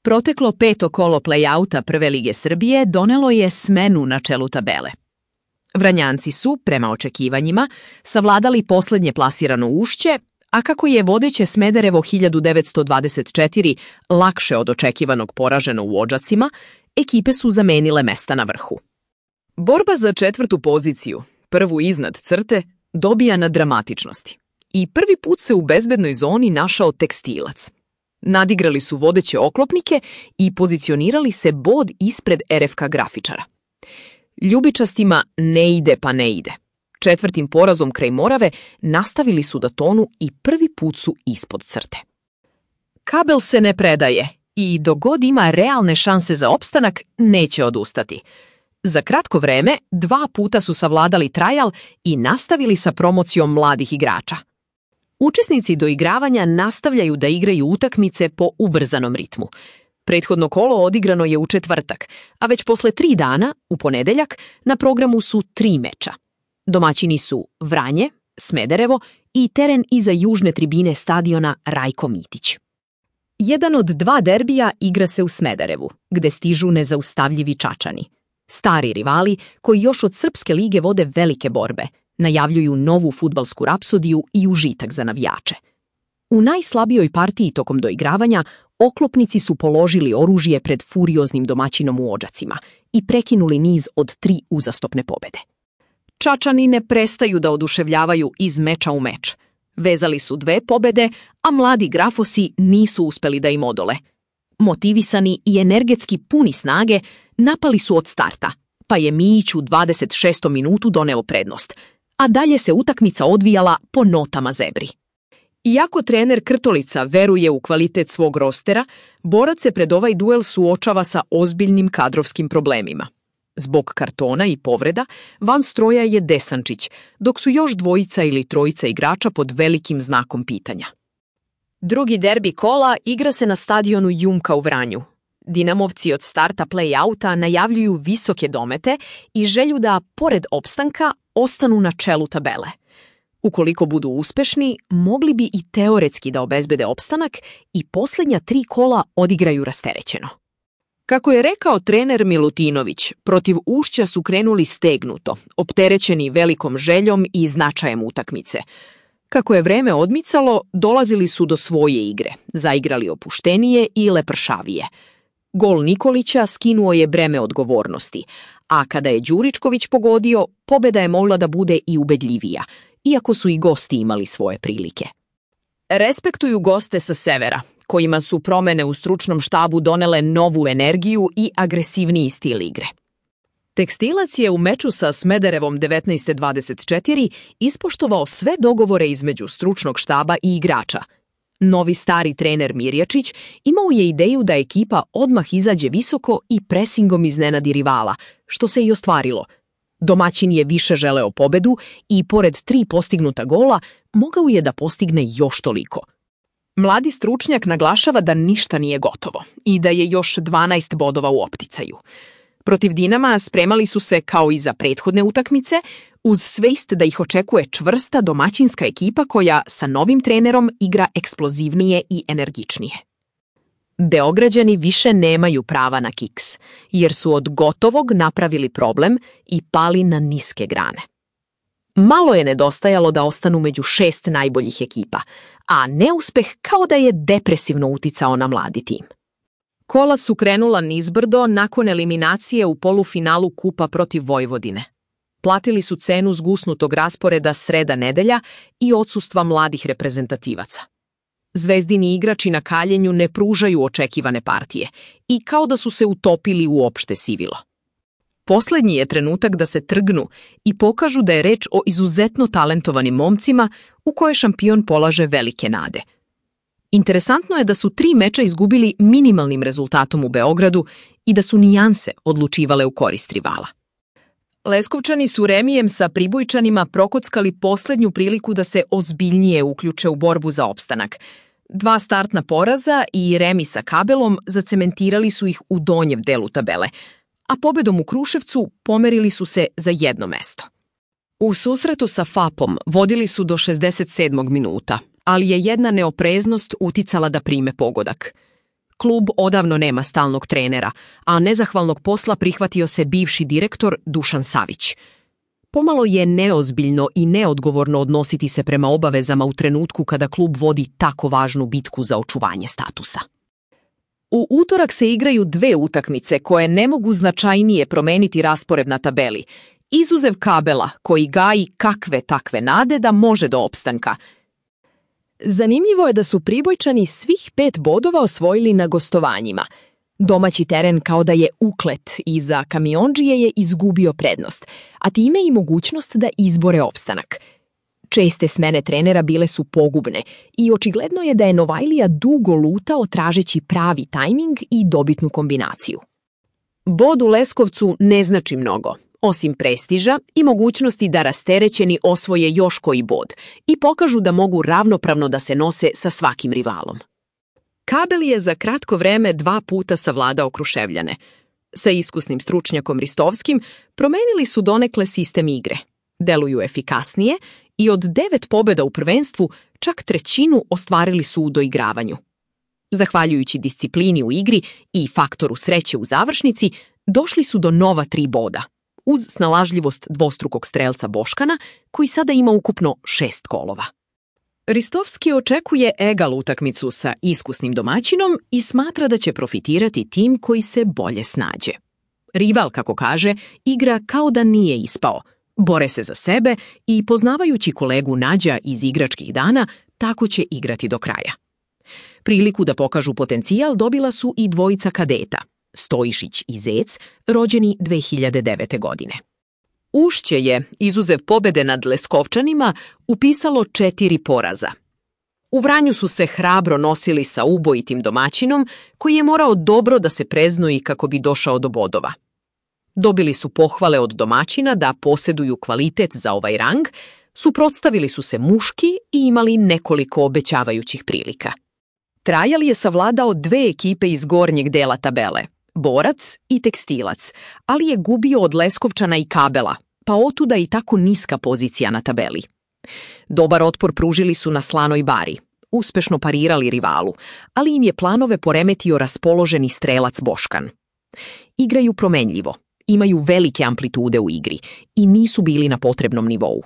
Proteklo peto kolo play-outa Prve lige Srbije donelo je smenu na čelu tabele. Vranjanci su, prema očekivanjima, savladali poslednje plasirano Ušće, a kako je vodeće Smederevo 1924 lakše od očekivanog poraženo u Odžacima, ekipe su zamenile mesta na vrhu. Borba za četvrtu poziciju, prvu iznad crte, dobija na dramatičnosti. I prvi put se u bezbednoj zoni našao Tekstilac. Nadigrali su vodeće oklopnike i pozicionirali se bod ispred RFK grafičara. Ljubičastima ne ide pa ne ide. Četvrtim porazom kraj Morave nastavili su da tonu i prvi put su ispod crte. Kabel se ne predaje i dok god ima realne šanse za opstanak, neće odustati. Za kratko vreme 2 puta su savladali trajal i nastavili sa promocijom mladih igrača. Učesnici doigravanja nastavljaju da igraju utakmice po ubrzanom ritmu. Prethodno kolo odigrano je u četvrtak, a već posle 3 dana, u ponedeljak, na programu su 3 meča. Domaćini su Vranje, Smederevo i teren iza južne tribine stadiona Rajko Mitić. Jedan od 2 derbija igra se u Smederevu, gde stižu nezaustavljivi Čačani. Stari rivali koji još od Srpske lige vode velike borbe, najavljuju novu fudbalsku rapsodiju i užitak za navijače. U najslabijoj partiji tokom doigravanja oklopnici su položili oružje pred furioznim domaćinom u Odžacima i prekinuli niz od 3 uzastopne pobede. Čačani ne prestaju da oduševljavaju iz meča u meč. Vezali su 2 pobede, a mladi grafosi nisu uspeli da im odole. Motivisani i energetski puni snage, napali su od starta, pa je Mijić u 26. minutu doneo prednost, a dalje se utakmica odvijala po notama zebri. Iako trener Krtolica veruje u kvalitet svog rostera, borac se pred ovaj duel suočava sa ozbiljnim kadrovskim problemima. Zbog kartona i povreda, van stroja je Desančić, dok su još 2 ili 3 igrača pod velikim znakom pitanja. Drugi derbi kola igra se na stadionu Jumka u Vranju. Dinamovci od starta play-outa najavljuju visoke domete i želju da, pored opstanka, ostanu na čelu tabele. Ukoliko budu uspešni, mogli bi i teoretski da obezbede opstanak i posljednja 3 kola odigraju rasterećeno. Kako je rekao trener Milutinović, protiv Ušća su krenuli stegnuto, opterećeni velikom željom i značajem utakmice. Kako je vreme odmicalo, dolazili su do svoje igre, zaigrali opuštenije i lepršavije. Gol Nikolića skinuo je breme odgovornosti, a kada je Đuričković pogodio, pobeda je mogla da bude i ubedljivija, iako su i gosti imali svoje prilike. Respektuju goste sa severa, kojima su promene u stručnom štabu donele novu energiju i agresivniji stil igre. Tekstilac je u meču sa Smederevom 1924 ispoštovao sve dogovore između stručnog štaba i igrača. Novi stari trener Mirjačić imao je ideju da ekipa odmah izađe visoko i presingom iznenadi rivala, što se i ostvarilo. Domaćin je više želeo pobedu i, pored 3 postignuta gola, mogao je da postigne još toliko. Mladi stručnjak naglašava da ništa nije gotovo i da je još 12 bodova u opticaju. Protiv Dinama spremali su se, kao i za prethodne utakmice, uz svest da ih očekuje čvrsta domaćinska ekipa koja sa novim trenerom igra eksplozivnije i energičnije. Beograđani više nemaju prava na kiks, jer su od gotovog napravili problem i pali na niske grane. Malo je nedostajalo da ostanu među 6 najboljih ekipa, a neuspeh kao da je depresivno uticao na mladi tim. Kola su krenula nizbrdo nakon eliminacije u polufinalu kupa protiv Vojvodine. Platili su cenu zgusnutog rasporeda sreda-nedelja i odsustva mladih reprezentativaca. Zvezdini igrači na kaljenju ne pružaju očekivane partije i kao da su se utopili u opšte sivilo. Poslednji je trenutak da se trgnu i pokažu da je reč o izuzetno talentovanim momcima u koje šampion polaže velike nade. Interesantno je da su 3 meča izgubili minimalnim rezultatom u Beogradu i da su nijanse odlučivale u korist rivala. Leskovčani su remijem sa Pribojčanima prokockali poslednju priliku da se ozbiljnije uključe u borbu za opstanak. 2 startna poraza i remi sa Kabelom zacementirali su ih u donjem delu tabele, a pobedom u Kruševcu pomerili su se za 1 mesto. U susretu sa FAP-om vodili su do 67. minuta, ali je jedna neopreznost uticala da prime pogodak. Klub odavno nema stalnog trenera, a nezahvalnog posla prihvatio se bivši direktor Dušan Savić. Pomalo je neozbiljno i neodgovorno odnositi se prema obavezama u trenutku kada klub vodi tako važnu bitku za očuvanje statusa. U utorak se igraju 2 utakmice koje ne mogu značajnije promeniti raspored na tabeli, izuzev Kabela koji gaji kakve takve nade da može do opstanka. Zanimljivo je da su Pribojčani svih 5 bodova osvojili na gostovanjima. Domaći teren kao da je uklet i za Kamiondžije je izgubio prednost, a time i mogućnost da izbore opstanak. Česte smene trenera bile su pogubne i očigledno je da je Novajlija dugo lutao tražeći pravi tajming i dobitnu kombinaciju. Bod u Leskovcu ne znači mnogo, osim prestiža i mogućnosti da rasterećeni osvoje još koji bod i pokažu da mogu ravnopravno da se nose sa svakim rivalom. Kabel je za kratko vreme 2 puta savladao Kruševljane. Sa iskusnim stručnjakom Ristovskim promenili su donekle sistem igre. Deluju efikasnije i od 9 pobjeda u prvenstvu čak 1/3 ostvarili su u doigravanju. Zahvaljujući disciplini u igri i faktoru sreće u završnici, došli su do nova 3 boda, uz snalažljivost dvostrukog strelca Boškana, koji sada ima ukupno 6 golova. Ristovski očekuje egal utakmicu sa iskusnim domaćinom i smatra da će profitirati tim koji se bolje snađe. Rival, kako kaže, igra kao da nije ispao, bore se za sebe i poznavajući kolegu Nađa iz igračkih dana, tako će igrati do kraja. Priliku da pokažu potencijal dobila su i dvojica kadeta, Stojišić i Zec, rođeni 2009. godine. Ušće je, izuzev pobjede nad Leskovčanima, upisalo 4 poraza. U Vranju su se hrabro nosili sa ubojitim domaćinom, koji je morao dobro da se preznoji kako bi došao do bodova. Dobili su pohvale od domaćina da posjeduju kvalitet za ovaj rang, suprotstavili su se muški i imali nekoliko obećavajućih prilika. Trajal je savladao 2 ekipe iz gornjeg dela tabele, Borac i Tekstilac, ali je gubio od Leskovčana i Kabela, pa otuda i tako niska pozicija na tabeli. Dobar otpor pružili su na Slanoj Bari, uspešno parirali rivalu, ali im je planove poremetio raspoloženi strelac Boškan. Igraju promenljivo, imaju velike amplitude u igri i nisu bili na potrebnom nivou.